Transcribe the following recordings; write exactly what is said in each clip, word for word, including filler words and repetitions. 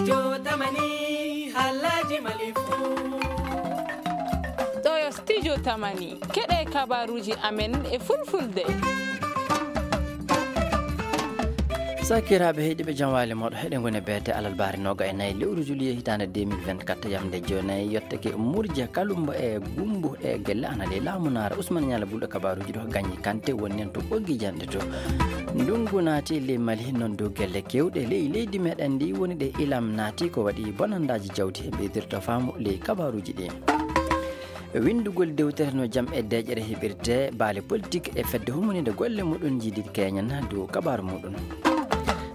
Yo tamani, halaji malifu. Ɗo yo studio tamani. Keɗe kabaruji amen e fulfulde. Sakiraaɓe heɗiiɓe, jam waali mooɗo. Heɗe ngoni beete alarbaare nooga e nayi lewru juillet hitaande deux mille vingt-quatre, yamde jeenayi yottake murja kalumba e gumbu e gelle ana ley laamu naara. Usman Ñala Bulɗo kabaruji ɗo gañi kante woni en to ɓoggi janɗe to. Ndungu naati ley Mali, noon dow gelle kewɗe ley leydi meɗen ndi woni ɗe ilam naati ko waɗi bonandaaji jawdi he ɓeydirta faamu ley kabaruji ɗi. Winndugol dewtere no jam e deeƴere heɓirte baale politik e fedde humaniinde golle muɗum jiidi keñen dow kabaaru muɗum.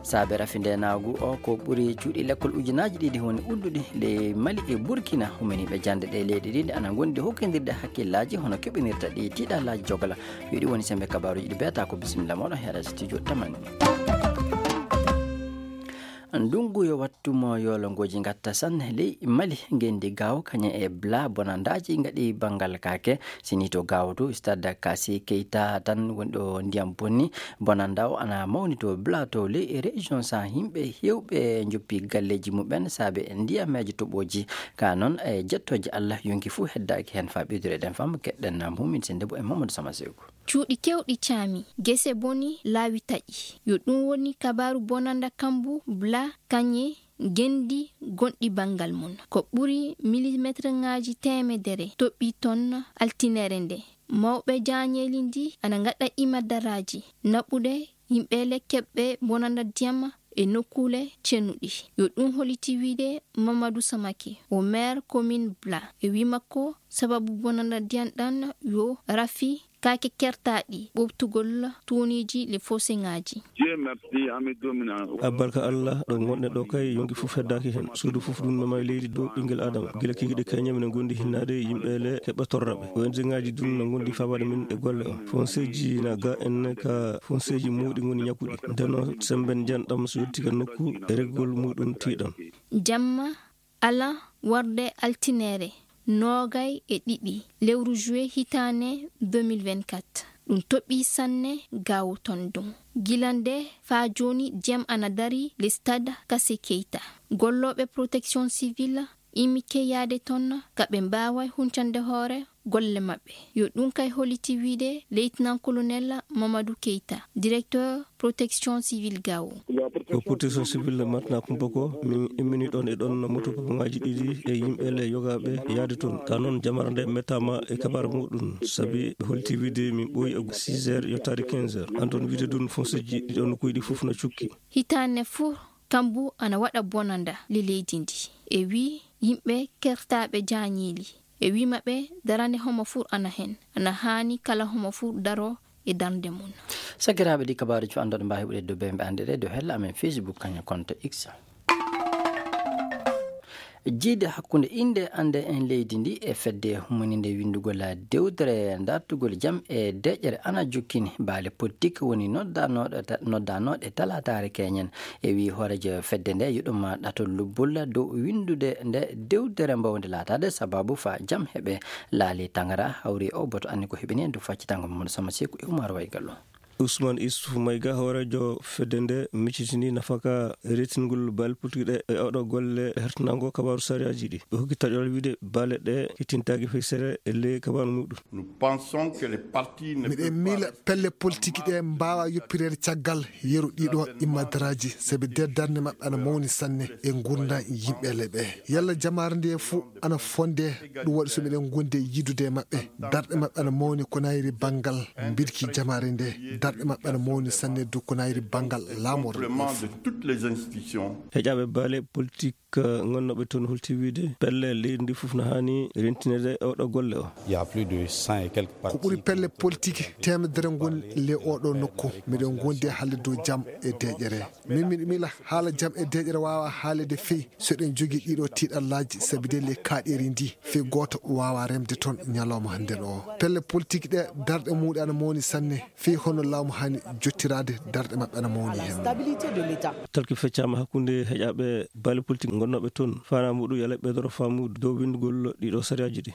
Saabe rafi ndeenaagu o ko ɓuri cuuɗi lekkol ujunaaji ɗiɗi woni udduɗi ley Mali e Burkina. Humaniiɓe jannde ɗe leyɗe ɗiɗi ana ngondi hokkindirde hakkillaaji hono keɓinirta ɗi tiiɗallaaji jogala. Yo ɗi woni sembe kabaaruji ɗi beeta ko bisimilla moɗon heɗa studio tamani. Ndungu yo wattu mo yoolongoji ngatta sanne ley Mali, ngendi gawo kañe e bla bonandaji ngaɗi bangal kake. Sini to gawo to stade Kassi Keita tan woni ɗo ndiyam bonni. Bonanda o ana mawni to bla to ley e région sa yimɓe hewɓe joppi galleji muɓen saabe ndiyameji toɓoji. Ka noon e jettoji Allah yonki fuu heddaaki hen fa ɓeydureɗen fam keɗɗen mumin sende bo e Mamadou Sama Seku. Cuuɗi kewɗi caami, gese boni, laawi taƴi. Yo ɗum woni kabaaru bonanda kambu bla kañe ngendi gonɗi banngal mum. Ko ɓuri milimetrŋaaji teemedere toɓɓi ton altinere nde. Mawɓe jaañeeli ndi ana ngaɗa imadaraaji naɓude yimɓeele keɓɓe bonanda ndiyam e nokkuule cennuɗi. Yo ɗum holiti wiide Mamadou Samake, o maire commune Bla. E wi makko, sababu bonanda ndiyam ɗan yo rafi kaake kertaaɗi ɓoftugol tuuniiji le foseŋaaji. Dieu merci, ami domina. Abbarka Allah, ɗo ngonɗen ɗo kay, yonki fof heddaaki heen. Suudu fof ɗum mema e leydi dow ɓinngel Adama. Gila kikiɗe keñe minen ngondi hinnaade yimɓe le keɓɓe torraɓe. O N G ŋaaji ɗum na ngondi fabaade min e golle o. Fonseeji na ga en ka fonseeji muuɗi ngoni ñakkuɗi. Ndeno semben njanɗam so yettii ka nokku e reggol muɗum tiiɗam. Jamma ala warde altinere noogay e ɗiɗi lewru juillet hitaane deux mille vingt-quatre. Ɗum toɓɓi sanne gawo ton ɗum. Gila nde faa jooni jam ana dari le stade Kassi Keita. Gollooɓe protection civile imike yaade ton ka ɓe mbaaway huncande hoore golle maɓɓe. Yo ɗum kay holiti wiide Lieutenant Colonel Mamadou Keita, directeur protection civile gawo. Ko protection civile matna kumpa ko, min immini ɗon e ɗon moto popoŋaaji ɗiɗi e yimɓe le yogaaɓe yaade toon. Ka noon jamara nde mettaama e kabaara muɗum, sabi ɓe holiti wiide min ɓooyi e six heures yottaade quinze heures. An toon wiide ɗum fonseeji ɗiɗo nokkuuji ɗi fof no cukki. Hitaane fof kambu ana waɗa bonanda le leydi ndi. E wi yimɓe kertaaɓe jaañeeli. E wi maɓɓe darande homo fur ana hen. Ana haani kala homo fur daro e darnde mum. Sakiraaɓe ɗi kabaaruji fof anndoɗo mbaawi heɓude dow bembe annde ɗe dow hella amen Facebook kañum konto X. Jiide hakkunde innde annde en leydi ndi e fedde humaninde winndugol dewtere dartugol jam e deƴƴere ana jokkini baale politik woni noddanooɗo ta-, noddanooɗe talaataare keñen. E wi hooreejo fedde nde yuɗuma ɗato lubbulla dow winndude nde dewtere mbawde laataade sababu fa jam heɓe laali tangara hawri o boto anni ko heɓini en dow faccitango Mamadou Sama Seku e Umar Waygallo. Ousmane Issouf Maïga, hooreejo fedde nde, miccitini nafaka reetingol baale politik ɗe e oɗo golle hertanango kabaaru sariyaaji ɗi. Ɓe hokki taƴol wiide baale ɗe kettintaaki feysere e ley kabaaru muɗum. Nous pensons que les partis ne Miɗen peuvent pas miila rester pelle politik ɗe mbaawa yoppireede caggal yeru ɗiɗo immadaraaji, sabi nder darnde maɓɓe ana mawni sanne e ngurndan yimɓe le ɓe. Yalla jamaare nde fof ana fonde, ɗum waɗi so miɗen ngondi e yidude e maɓɓe. Darɗe maɓɓe ana mawni ko nayri banngal mbirki jamaare nde. Darɗe maɓɓe ana mawni sanne du ko nayri banngal laamorde. Peuplement de toutes les institutions. Heƴaaɓe baale politik, eh, ngonnooɓe toon holti wiide pelle leydi ndi fof no haani rentinede e oɗo golle o. Il y a plus de cent et quelques Ko ɓuri partis pelle politik teemedere ngoni le oɗo nokku. Miɗen ngondi haalde dow jam e deƴƴere. Min miɗo miila haala jam e deƴƴere waawa haalede fey so eɗen jogii ɗiɗo tiiɗallaaji, sabi de le kaaɗeeri ndi fey gooto waawa remde toon ñalawma hannden o. Pelle politik ɗe darɗe muuɗe ana mawni sanne, fey hono laamu haani jottiraade darɗe maɓɓe ana mawni heen. Talki feccaama hakkunde heƴaaɓe baale politik ngonnooɓe toon. Faanaa muɗum yala ɓeydoro faamu dow winndugol ɗiɗo sariyaaji ɗi.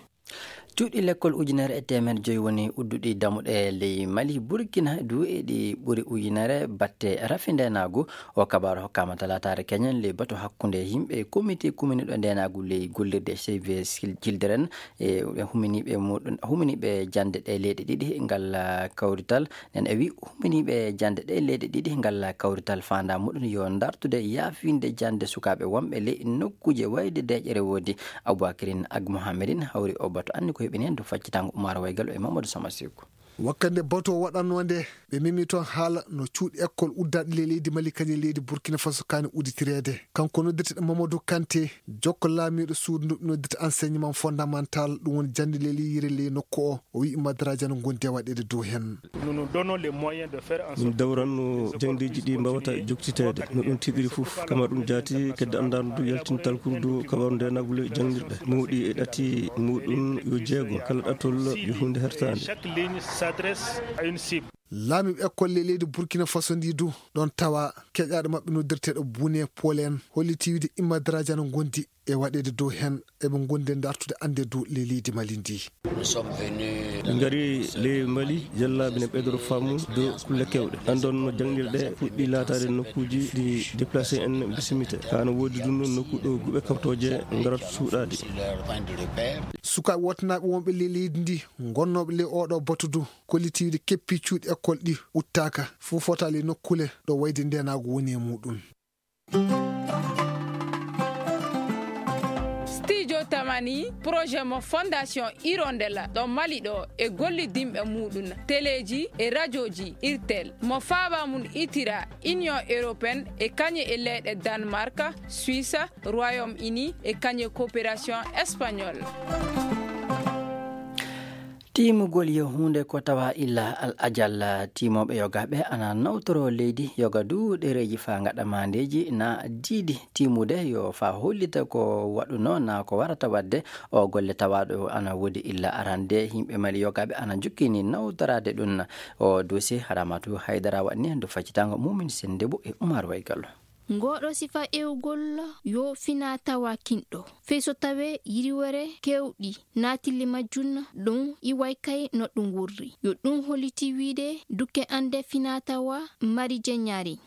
Cuuɗi lekkol ujunere e teemeɗe joyi woni udduɗi damuɗe ley Mali, Burkina du e ɗi ɓuri ujunere batte rafi ndeenaagu. O kabaaru hokkaama talaataare keñen ley batu hakkunde yimɓe komite kuminiiɗo ndeenaagu ley gollirde Save Children e huminiiɓe muɗum, huminiiɓe jannde ɗe leyɗe ɗiɗi ngal, ah, kawrital. Nen e wi huminiiɓe jannde ɗe leyɗe ɗiɗi ngal kawrital faandaa muɗum yo ndartude yaafinde jannde sukaaɓe wonɓe ley nokkuuje wayde deeƴere woodi. Aboubacrine Ag Mohamedin hawri o batu anni ko heɓini heen dow faccitango Oumar Waygal e Mamadou Sama Seku. Wakkande batu o waɗannoo nde, ɓe memi toon haala no cuuɗi ekkol uddaaɗi ley leydi Mali kañum e leydi Burkina Faso kaani udditireede. Kanko noddirteɗo Mamadou Kanté, jokko laamiiɗo suudu ndu ɓe noddirta enseignement fondamental, ɗum woni jannde ley leyire ley nokku o. O wi'i madaraaji ana ngondi e waɗeede dow heen. Nous nous donnons les moyens de faire en Min sorte dawranno jangdeeji ɗi mbawata joktiteede no ɗum tigiri fof, kama ɗum jaati kedde anndaandu yaltintal kurdu kabaru ndeenagu ley jangnirɗe mawɗi e ɗati muɗum yo jeego, kala ɗatol yo huunde hertaande. Chaque ligne s'adresse à une cible. Laamiiɓe ekkol ley leydi Burkina Faso ndi du ɗon tawa keƴaaɗo maɓɓe noddirteeɗo Bune Polen holliti wiide immadaraaji ana ngondi e waɗeede dow heen, eɓe ngondi e dartude annde dow ley leydi Mali ndi. Min ngari ley Mali, jellaaɓe ne ɓeydoro faamu dow kulle kewɗe. Anndon no jangnirɗe puɗɗi laataade nokkuuji ɗi déplacé en bisimite. Kaa no woodi ɗum ɗon nokku ɗo guɓe kawtooje ngarata suuɗaade. Sukaaɓe wottanaaɓe wonɓe ley leydi ndi, ngonnooɓe ley oɗo batu du, kolliti wiide keppi cuuɗi ekkol ɗi uttaaka, fof fota ley nokkule ɗo wayde ndeenaagu woni e muɗum. Studio Tamani, projet mo Fondation Hirondelle ɗo Mali ɗo e gollidinɓe muɗum, teleeji e rajooji Irtel, mo faaba mum itira Union Européenne e kañe e leyɗe Danemark, Suisse, Royaume-Uni e kañe coopération espagnole. Tiimugol yo huunde ko tawa illa al ajal. Tiimooɓe yogaaɓe ana nawtoro leydi yoga du ɗereeji faa ngaɗa maandeeji na diidi. Tiimude yo faa hollita ko waɗuno na ko warata waɗde. O golle tawaaɗo ana woodi illa arande. Yimɓe Mali yogaaɓe ana njukkini nawtoraade ɗum. O duusi Haramatu Haydara waɗni ndu faccitango Mumin Sennde Bo e Umar Waygallo. Ngooɗo sifa ewgol yo finaa tawa kinɗo. Fey so tawee yiriwere keewɗi naatilli majjun, ɗum iway kay no ɗum wurri. Yo ɗum holliti wiide dukke annde finaa tawa mari jeñaari.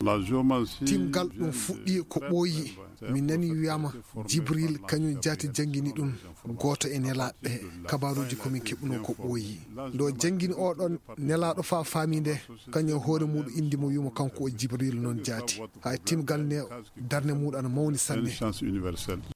Timgal ɗum fuɗɗi ko ɓooyi. Mi nani wiyaama Jibril kañum jaati janngini ɗum. Gooto e nelaaɓe ɓe, kabaaruuji ko min keɓunoo ko ɓooyi. Nde o janngini oɗon nelaaɗo faa faami nde, kañum e hoore muuɗum inndi mo wi'umo kanko o Jibril noon jaati. Hay timgal ne darnde muuɗum ana mawni sanne.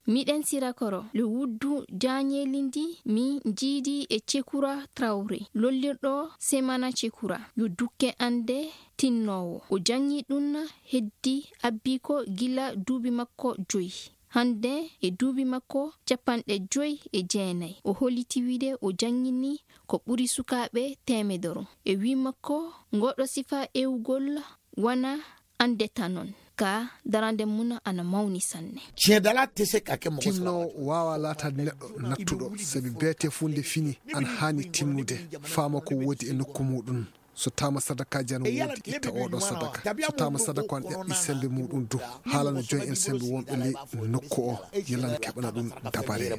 Miɗen sira koro le wuddu jaañeeli ndi mi jiidi e Cekura Trawre, lollirɗo Semana Cekura, yo dukke annde tinnoowo. O janngii ɗum heddi abbii ko gila duuɓi makko joyi. Hannde e duuɓi makko capanɗe joyi e jeenay, o holliti wiide o janngini ko ɓuri sukaaɓe teemedoro. E wii makko, ngooɗo sifa ewgol wana annde tanon, ka darande mum ana mawni sanne. Tiɲɛdala tɛ se ka kɛ mɔgɔ saba. Timnoowo waawaa laataade neɗɗo nattuɗo, sabi beetee fuu nde fini ana haani timnude, faama ko woodi e nokku muuɗum. So taama sadakaaji ana woodi, itta oɗo sadaka. So taama sadaka on ƴaɓɓi semmbe muuɗum du, haalana joom en semmbe wonɓe ley nokku o, yalla na keɓana ɗum dabare.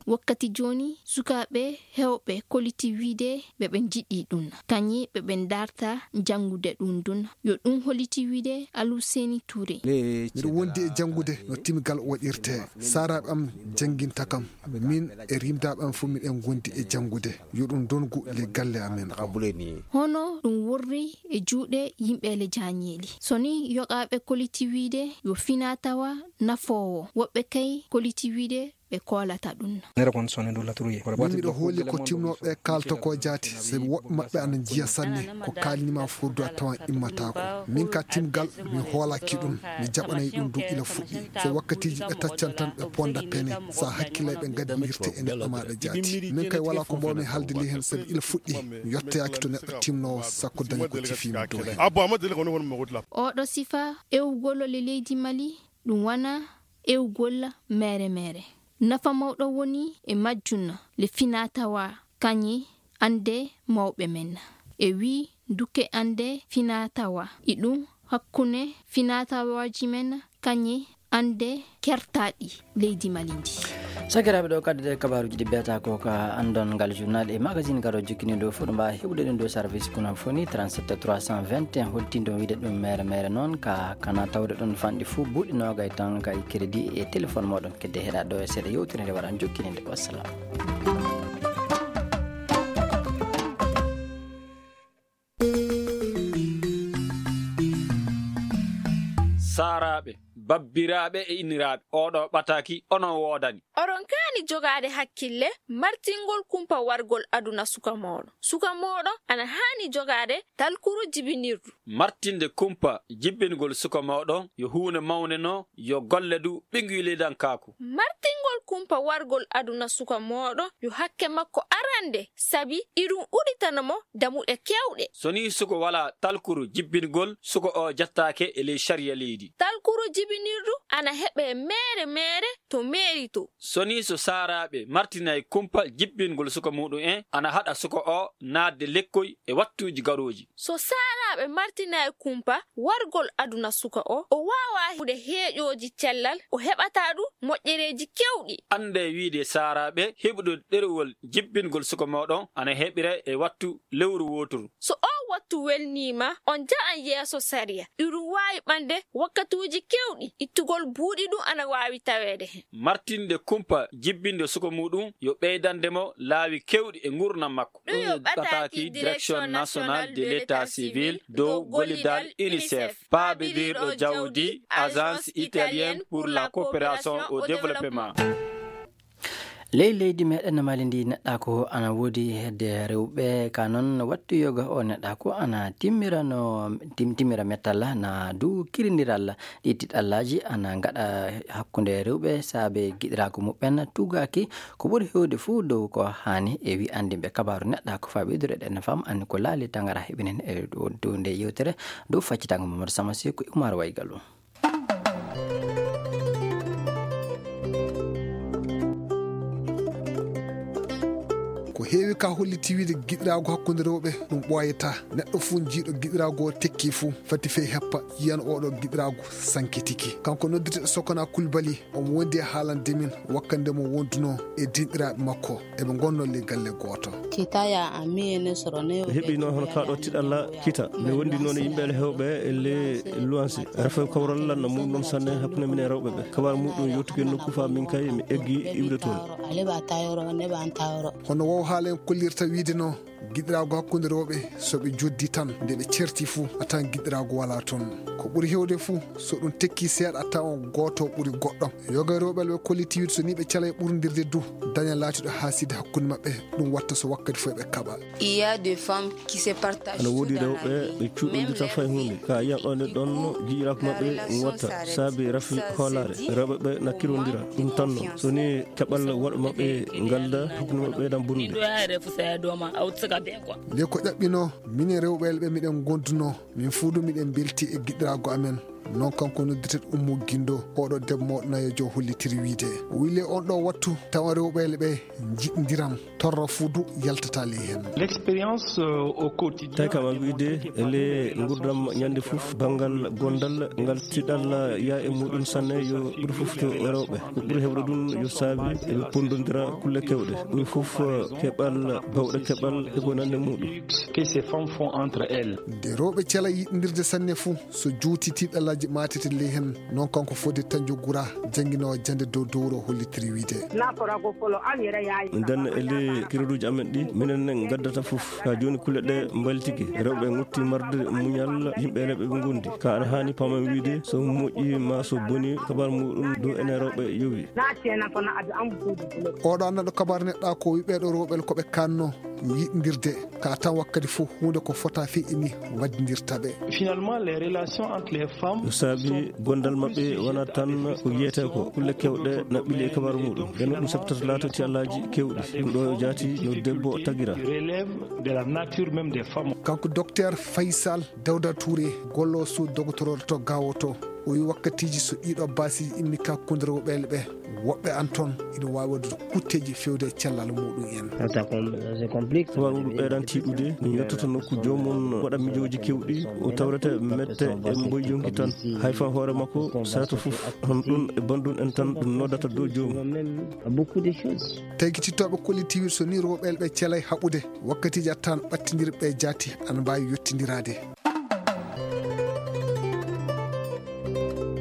Wakkati jooni, sukaaɓe heewɓe kolliti wiide ɓe ɓe njiɗi ɗum, kañi ɓe ɓe ndaarta janngude ɗum ɗum. Yo ɗum holliti wiide Aluseni Ture. Miɗo wondi e janngude no timgal waɗirtee. Saaraaɓe am jannginta kam. Min e rimdaaɓe am fof miɗen ngondi e janngude. Yo ɗum ndongu le galle amen o. Hono ɗum worri e juuɗe yimɓe le jaañeeli. So ni yoqaaɓe kolliti wiide yo finaa tawa nafoowo. Woɓɓe kay kolliti wiide ɓe koolata ɗum. Nera kon sone du latruye. Min miɗo hooli ko timnooɓe kaalta ko jaati, sabi woɓɓe maɓɓe ana njiya sanne ko kaalnimaa fof du a tawan immataako. Min ka timgal mi hoolaki ɗum, mi jaɓanay ɗum du ila fuɗɗi. So wakkatiiji ɓe taccan tan ɓe ponda pene, sa hakkilay ɓe ngaddi wirte e neɗɗo maaɗa jaati. Min kay wala ko mbawmi haalde ley heen sabi ila fuɗɗi mi yettoyaaki to neɗɗo timnoowo sakko daña ko tifiimi dow heen. Oɗo sifa ewgol le leydi Mali, ɗum wana ewgol meere meere. Nafa mawɗo woni e majjun le finaa tawa kañi annde mawɓe men. E wii dukke annde finaa tawa, e ɗum hakkunde finaa tawaaji men kañi annde kertaaɗi leydi Mali ndi. Sakiraaɓe, ɗo kaddude kabaaruuji ɗi mbiyata ko ka anndon ngal journal e magazine garo jokkini ɗo fof, ɗo mbaawa heɓude ɗum ɗo service kono foni trente-sept trois cent vingt et un, holtindo wiide ɗum mere mere noon ka kana tawde ɗon fanɗi fof buuɗi noogay tan kay crédit e téléphone moɗon. Kedde heɗa ɗo e seeɗa yewtere nde waran jokkininde. Wassalam. Saaraaɓe, babbiraaɓe e inniraaɓe, oɗo ɓataaki onon woodani. Oɗon kaani jogaade hakkille martingol kumpa wargol aduna suka mooɗon. Suka mooɗon ana haani jogaade talkuru jibinirdu. Martinde kumpa jibbingol suka mooɗon yo huunde mawnde no yo golle du ɓinguy leydankaaku. Martingol kumpa wargol aduna suka mooɗon yo hakke makko arande, sabi iɗum uɗitana mo damuɗe kewɗe. So ni suko wala talkuru jibbingol, suko o jattaake e ley sariya leydi. Talkuru jibinirdu ana heɓe meere meere to meeri to. So ni so saaraaɓe martinay kumpa jibbingol suka muɗum en, ana haɗa suka o naatde lekkoy e wattuuji garooji. So saaraaɓe martinay kumpa wargol aduna suka o, o waawaa hude heeƴooji cellal, o heɓataa ɗum moƴƴereeji kewɗi. Annde wiide saaraaɓe heɓude ɗerewol jibbingol suka mooɗon ana heɓire e wattu lewru wooturu. So oo wattu welniima, on nja'an yeeso sariya. Iɗum waawi ɓande wakkatuuji kewɗi, ittugol buuɗi ɗum ana waawi taweede hen. Martinde kumpa jibbinde suka muɗum yo ɓeydande mo laawi kewɗi e ngurnam makko. Ɗum yo ɓataaki Direction Nationale de l'État Civil dow gollidal UNICEF, paabirirɗo jawdi Agence Italienne pour la Coopération au Développement. Ley leydi meɗen Mali ndi, neɗɗaaku ana woodi hedde rewɓe, ka noon wattu yoga o neɗɗaaku ana timmira no tim-, timmira mettal na du kirindiral. Ɗi tiɗallaaji ana ngaɗa hakkunde rewɓe saabe giɗiraagu muɓɓen tugaaki ko ɓuri heewde fuu dow ko haani. E wi anndinɓe kabaaru neɗɗaaku faa ɓeydude ɗen fam anni ko laali tangara heɓinen e dow, dow nde yewtere dow faccitaango Mamadou Samasi ko Umar Waygalu. Ko heewi ka holliti wiide giɗiraagu hakkunde rewɓe ɗum ɓooyataa. Neɗɗo fuu jiiɗo giɗiraagu o tekki fuu fati fey heppa yiyan oɗo giɗiraagu sankitiki. Kanko noddirteɗo Sokona Kulbali, omo wondi e haalande min wakkande mo wondunoo e dinɗiraaɓe makko. Eɓe ngonnoo ley galle gooto. Kita ya ami ene soro ne. Ɓe heɓino hono kaa ɗo tiɗalla kita. Ɓe wondi noon e yimɓe ele heewɓe e le luwanse. Ara fof kawral lanna mum noon sanne hakkunde minen rewɓe ɓe. Kabar muɗum yottuki e nokku faa min kay mi eggi iwde toon. Ale ba tayoro, ne ba tayoro. Hono wow haala en kollirta wiide no giɗiraagu hakkunde rewɓe, so ɓe joddi tan, nde ɓe certi fuu, a tawan giɗiraagu walaa toon. Ko ɓuri heewde fuu, so ɗum tekki seeɗa, a tawan gooto ɓuri goɗɗo. Yoga rewɓe ɓe kolliti wiide so ni ɓe calay ɓurndirde du, daña laatiiɗo haasidi hakkunde maɓɓe, ɗum watta so wakkati fof ɓe kaɓa. Il y a des femmes qui se partagent. Ana woodi rewɓe ɓe cuuɗondirta fay huunde. Ka yiyan ɗon e ɗon jiiraako maɓɓe watta saabi rafi hoolaare. Rewɓe ɓe nakkirondira. Ɗum tan noon. So ni keɓal woɗɓe maɓɓe ngalda, hakkunde maɓɓe ɓeydan bonnude. Nde ko ƴaɓɓinoo, minen rewɓe ɓe miɗen ngondunoo, min fuu du miɗen mbelti e giɗiraagu amen. Noon kanko noddirteɗo Ummu Gindo, oɗo debbo mawɗo nayeejo hollitiri wiide. O wille on ɗo wattu, tawa rewɓe ɓe njiɗndiran, torra fuu du yaltata ley heen. L'expérience, euh, au quotidien. Tawi kam a wiide, e le nguurndam ñande fof, banngal gondal, ngal tiɗal yaa e muɗum sanne yo ɓuri fof to rewɓe. Ko ɓuri heewde ɗum yo saabi eɓe ponndondira kulle kewɗe. Ɓuri fof keɓal, bawɗe keɓal, e ko nanndi muɗum. Que ces femmes font entre elles. Nde rewɓe cela yiɗndirde sanne fuu, so juuti tiɗallaaji maatete ley heen, noon kanko Fodé Tandiou Goura, jannginoowo jannde dow dowro hollitiri wiide. Nden e ley kireduuji amen ɗi, minen ne ngaddata fof. Ka jooni kulle ɗe mbaylitike, rewɓe ngotti marde muñal, yimɓe rewɓe ɓe ngondi. Ka ana haani pamen wiide, so moƴƴi ma so boni, kabar muɗum dow enen rewɓe yowi. Oɗo neɗɗo kabar neɗɗa ko wiɓeɗo rewɓe ko ɓe kanno yiɗndirde. Ka tan wakkati fof huunde ko fota feƴƴini waddindirta ɓe. Finalement, les relations entre les femmes. Ko saabi gondal maɓɓe wona tan ko yiyetee ko kulle kewɗe na ɓili e kabaru muɗum. Nden ɗum sabtata laatoto e allaaji kewɗi. Ɗum ɗo jaati no debbo tagira. Relève de la nature même des femmes. Kanko docteur Faysal Dawda Touré, gollo suudu dogotoroore to Gaawo to, O wi wakkatiiji so ɗiɗo baasiiji immi ka kundere woɓeele ɓe, woɓɓe an toon ina waawi waɗude kutteeji fewde e cellal muɗum en. Sababu ɗum ɓeyɗan tiiɗude, min yettoto nokku joomum waɗa mijooji kewɗi, o tawrata mette e mboy yonki tan. Hay fan hoore makko sato fof, hon ɗum e banndum en tan ɗum noddata dow joomum. Tawi kitittooɓe kollitiiwir so ni rewɓeele ɓe celay haɓude, wakkatiiji a tan ɓattindirɓe jaati ana mbaawi yottindiraade.